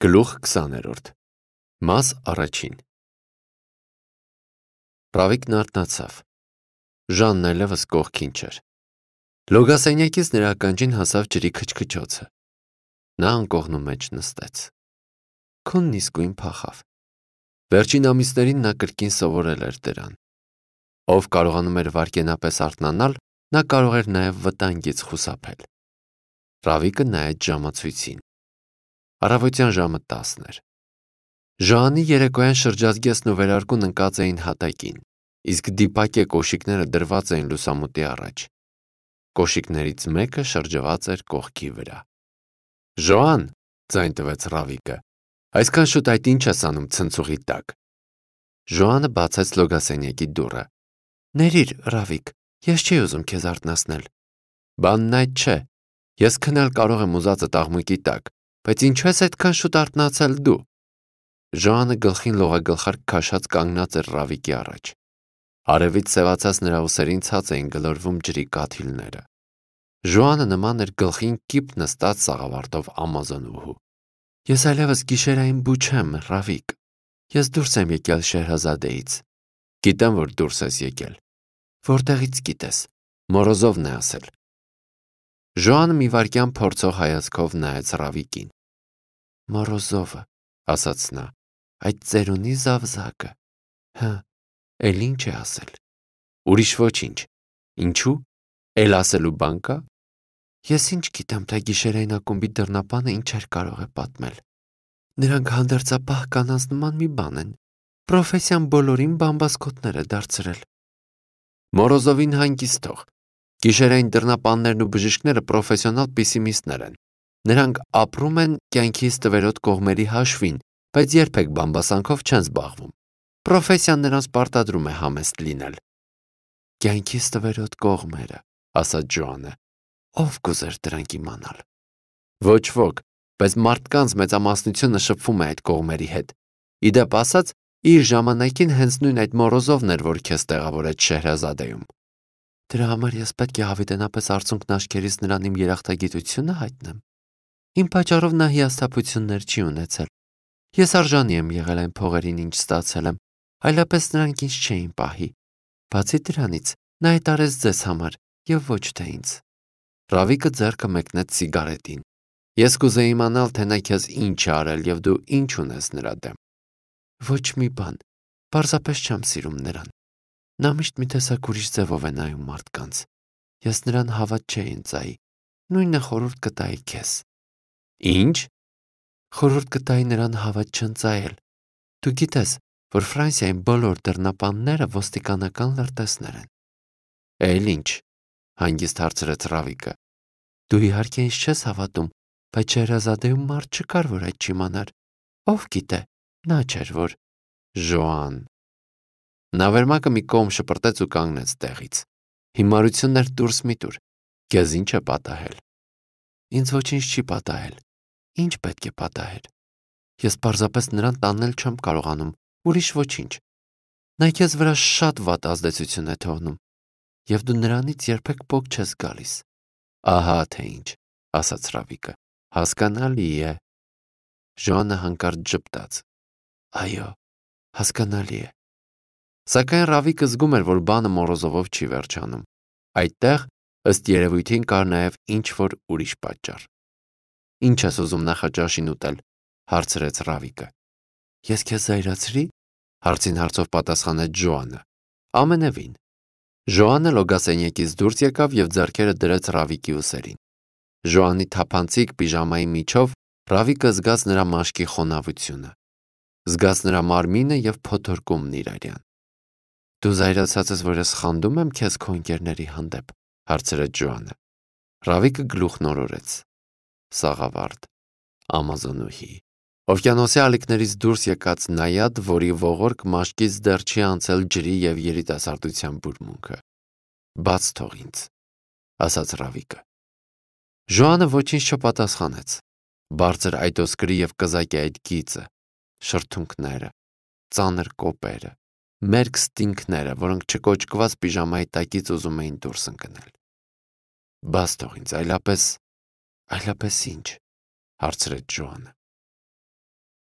Գլուխ 20-րդ Մաս առաջին Ռավիկն արթնացավ։ Ժանն այլևս կողքին չէր։ Լոգասենյակից նրա ականջին հասավ ջրի քչքչոցը։ Նա անկողնու մեջ նստեց։ Քունն իսկույն փախավ։ Վերջին ամիսներին նա կրկին սովորել էր դրան։ Ով կարողանում էր վայրկենապես արթնանալ, նա կարող էր նաև վտանգից խուսափել։ Ռավիկը նայեց ժամացույցին։ Առավոտյան ժամը 10 էր։ Ժանի երեկոյան շրջազգեստն ու վերարկուն ընկած էին հատակին, իսկ դիպակե կոշիկները դրված էին լուսամուտի առաջ։ Կոշիկներից մեկը շրջված էր կողքի վրա։ Ժոան, ձայն տվեց Ռավիկը, այսքան շուտ այդ ինչ ես անում ցնցուղի տակ։ Ժոանը բացեց լոգասենյակի դուռը։ Ներիր, Ռավիկ, ես չի ուզում քեզ արթնացնել։ Բանն այդ չէ։ Ես քնել կարող եմ ուզածդ աղմուկի տակ, բայց ինչու ես այդքան շուտ արթնացել դու։ Ժոանը գլխին լողագլխարկ քաշած կանգնած էր Ռավիկի առաջ։ Արևից սևացած նրա ուսերին ցած էին գլորվում ջրի կաթիլները։ Ժոանը նման էր գլխին կիպ նստած սաղավարտով ամազոնուհու։ Ես այլևս գիշերային բու չեմ, Ռավիկ։ Ես դուրս եմ եկել Շեհրազադեից։ Գիտեմ, որ դուրս ես եկել։ Որտեղից գիտես։ Մորոզովն է ասել։ Ժոանը մի վայրկյան փորձող հայացքով նայեց Ռավիկին։ Մորոզովը, ասաց նա, այդ ծերունի զավզակը։ Հը, էլ ինչ է ասել։ Ուրիշ ոչինչ։ Ինչու։ Էլ ասելու բան կա։ Ես ինչ գիտեմ, թե գիշերային ակումբի դռնապանը ինչ էր կարող է պատմել։ Նրանք հանդերձապահ կանանց նման մի բան են։ Պրոֆեսիան բոլորին բամբասկոտներ է դարձրել։ Մորոզովին հանգիստ թող։ Գիշերային դռնապաններն ու բժիշկները պրոֆեսիոնալ պեսիմիստներ են։ Նրանք ապրում են կյանքի ստվերոտ կողմերի հաշվին, բայց երբեք բամբասանքով չեն զբաղվում։ Պրոֆեսիան նրանց պարտադրում է համեստ լինել։ Կյանքի ստվերոտ կողմերը, ասաց Ժոանը։ Ով կուզեր դրանք իմանալ։ Ոչ ոք, բայց մարդկանց մեծամասնությունը շփվում է այդ կողմերի հետ։ Իդեպ ասած, իր ժամանակին հենց նույն այդ Մորոզովն էր, որ քեզ տեղավորեց Շեհրազադեում։ Դրա համար ես պետք է հավիտենապես արցունքն աչքերից նրան իմ երախտագիտությունը հայտնեմ։ Իմ պատճառով նա հիասթափություններ չի ունեցել։ Ես արժանի եմ եղել այն փողերին, ինչ ստացել եմ, այլապես նրանք ինձ չէին պահի։ Բացի դրանից, նա հայտարարեց ձեզ համար եւ ոչ թե ինձ։ Ռավիկը ձեռքը մեկնեց սիգարետին։ Ես կուզեի իմանալ, թե նա քեզ ինչ է արել եւ դու ինչ ունես նրա դեմ։ Ոչ մի բան, պարզապես չեմ սիրում նրան։ Նա միշտ մի տեսակ ուրիշ ձևով է նայում մարդկանց։ Ես նրան հավատ չէի ընծայի։ Նույնը խորհուրդ կտայի քեզ։ Ինչ։ Խորհուրդ կտայի նրան հավատ չընծայել։ Դու գիտես, որ Ֆրանսիայում բոլոր դռնապանները ոստիկանական լրտեսներ են։ Էլ ինչ, հանգիստ հարցրեց Ռավիկը։ Դու իհարկե ինձ չես հավատում, բայց Շեհրազադեում մարդ չկար, որ այդ չիմանար։ Ով գիտե, նա չէր որ։ Ժոան։ Նա վերմակը մի կողմ շպրտեց ու կանգնեց տեղից։ Հիմարություններ դուրս մի տուր։ Քեզ ինչ է պատահել։ Ինձ ոչինչ չի պատահել։ Ինչ պետք է պատահեր։ Ես պարզապես նրան տանել չեմ կարողանում, ուրիշ ոչինչ։ Նա քեզ վրա շատ վատ ազդեցություն է թողնում, եւ դու նրանից երբեք փոք չես գալիս։ Ահա թե ինչ, ասաց Ռավիկը։ Հասկանալի է։ Ժոանը հանկարծ ժպտաց։ Այո, հասկանալի է։ Սակայն Ռավիկը զգում էր, որ բանը Մորոզովով չի վերջանում։ Այդտեղ, ըստ երևույթին, կար նաև ինչ-որ ուրիշ պատճառ։ Ինչ ես ուզում նախաճաշին ուտել, հարցրեց Ռավիկը։ Ես քեզ զայրացրի, հարցին հարցով պատասխանեց Ժոանը։ Ամենևին։ Ժոանը լոգասենյակից դուրս եկավ եւ ձեռքերը դրեց Ռավիկի ուսերին։ Ժոանի թափանցիկ պիժամայի միջով Ռավիկը զգաց նրա մաշկի խոնավությունը։ Զգաց նրա մարմինը եւ փոթորկումն իրարյան։ Դու զայրացած ես, որ ես խանդում եմ քեզ քո ընկերների հանդեպ, հարցրեց Ժոանը։ Ռավիկը գլուխն օրորեց։ Սաղավարտ, ամազոնուհի, օվկիանոսի ալիքներից դուրս եկած նայադ, որի ողորկ մաշկից դեռ չի անցել ջրի եւ երիտասարդության բուրմունքը։ Բաց թող ինձ, ասաց Ռավիկը։ Ժոանը ոչինչ չպատասխանեց։ Բարձր այտոսկրի եւ կզակի այդ գիծը, շրթունքները, ծանր կոպերը, մերկ ստինքները, որոնք չկոճկված պիժամայի տակից ուզում էին դուրս ընկնել։ Բաց թող ինձ, այլապես ինչ, հարցրեց Ժոանը։